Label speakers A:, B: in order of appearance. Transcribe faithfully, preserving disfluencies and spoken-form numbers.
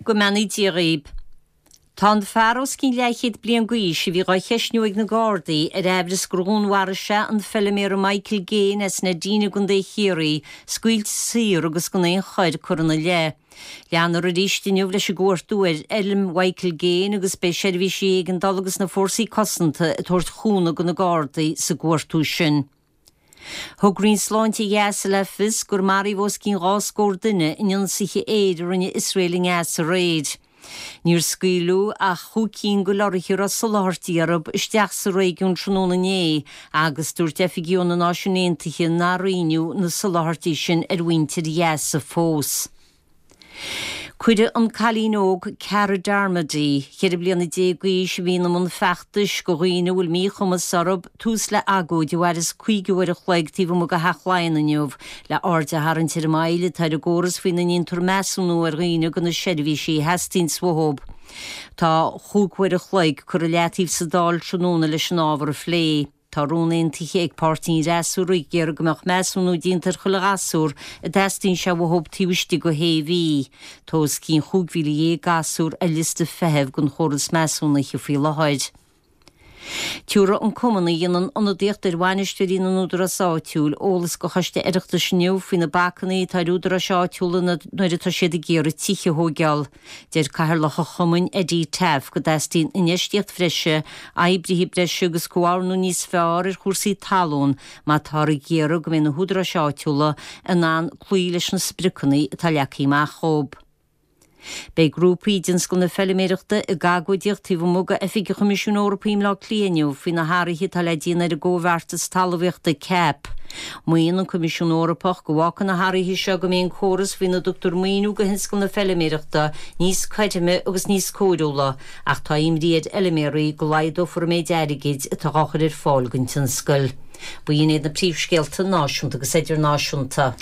A: Go mbeannaí Dia dhaoib. Tá an fear os cionn leathchéad bliain d'aois a bhí dhá cheistniú ag na Gardaí ar aimhreas gur dhúnmharaigh sé an feilméara Michael Gaine as Neidín i gContae Chiarraí scaoilte saor agus gan aon choir curtha ina leith. Leanfar arís inniu leis an gcuartú ar fheilm Mhichael Gaine agus beidh seirbhísí éigeandála agus na fórsaí cosanta ag tabhairt chúnamh do na Gardaí sa gcuartú sin. Thug Roinn Sláinte Ghaza le fios gur maraíodh os cionn dhá scór duine in ionsaithe aeir a rinne Iosrael i nGaza aréir. Níor scaoileadh ach chúig cinn de lorraithe a raibh soláthairtí orthu isteach sa réigiún tráthnóna inné agus dúirt oifigigh ó na Náisiúin Aontaithe nár roinneadh na soláthairtí sin ar mhuintir Ghaza fós. Cuireadh an cailín óg Cara Darmody, ceithre bliana déag d'aois a bhíonn i mbun feachtais do dhaoine a bhfuil míchumas orthu, tús le agóid a mhairfeas caoga uair a chloig taobh amuigh de Theach Laighean inniu, le aird a tharraingt ar an moill atá ar an gcóras faoina ndéantar measúnú ar dhaoine do na seirbhísí a theastaíonn uathu. Tá chúig uair a chloig curtha i leataobh sa Dáil tráthnóna leis an ábhar a phlé. Tá rún aontaithe ag páirtí an fhreasúra ag iarraidh go mbeadh measúnú déanta ar chuile ghasúr a dteastaíonn sé uathu taobh istigh de shé mhí. Tá os cionn chúig mhíle dhéag gasúr ar liosta feithimh don chóras measúnaithe faoi láthair. Tabharfaidh an cumann a dhéanann ionadaíocht ar bhainisteoirí na n-údarás áitiúil eolas do Choiste Oireachtais inniu faoi na bacanna atá ar údaráis áitiúla nuair atá siad ag iarraidh tithe a thóigeáil. Deir Cathaoirleach an chumainn Eddie Taaffe go dteastaíonn infheistíocht bhreise, oibrithe breise agus comhordú níos fearr ar chúrsaí talún má táthar ag iarraidh go mbeidh na húdaráis áitiúla in ann cloí leis na spriocanna atá leagtha amach dóibh. Beidh grúpaí i dtionscal na feilméarachta ag agóidíocht taobh amuigh d'Oifig an Choimisiúin Eorpaigh i mBleá Cliath inniu faoi na hathruithe atá le déanamh ar an gcomhbheartas talmhaíochta CAP. Maíonn an Coimisiún Eorpach go bhfágfaidh na hathruithe seo go mbeidh an córas faoina dtugtar maoiniú do thionscal na feilméarachta níos cothroime agus níos cóiriúla, ach tá imní ar fheilméaraí go laghdófar an méid airgid atá á chur ar fáil don tionscal. B'in iad na príomhscéalta náisiúnta agus idirnáisiúnta.